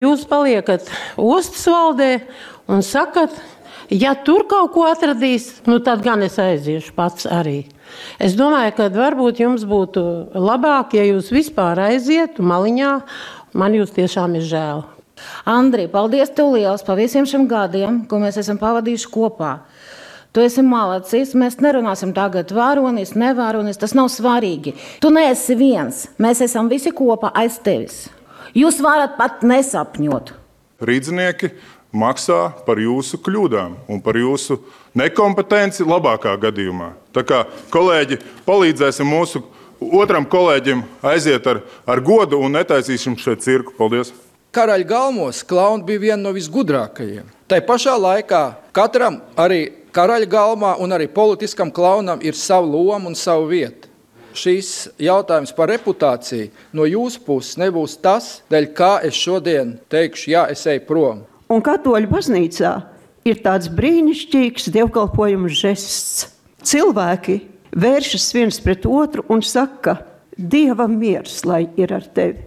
Jūs paliekat ostas valdē un sakat, ja tur kaut ko atradīs, tad gan es aiziešu pats arī. Es domāju, ka varbūt jums būtu labāk, ja jūs vispār aizietu maliņā. Man jūs tiešām ir žēl. Andri, paldies tev liels par visiem šiem gadiem, ko mēs esam pavadījuši kopā. Tu esi malacis, mēs nerunāsim tagad varonis, nevaronis, tas nav svarīgi. Tu neesi viens, mēs esam visi kopā aiz tevis. Jūs varat pat nesapņot. Rīdznieki maksā par jūsu kļūdām un par jūsu nekompetenci labākā gadījumā. Tā kā kolēģi, palīdzēsim mūsu otram kolēģim aiziet ar godu un netaisīsim šeit cirku. Paldies! Karaļa galmos klauni bija viena no visgudrākajiem. Tai pašā laikā katram arī karaļa galmā un arī politiskam klaunam ir sava loma un sava vieta. Šīs jautājums par reputāciju no jūsu puses nebūs tas, dēļ kā es šodien teikšu, jā, es eju prom. Un katoļu baznīcā ir tāds brīnišķīgs dievkalpojuma žests. Cilvēki vēršas viens pret otru un saka, Dievam miers, lai ir ar tevi.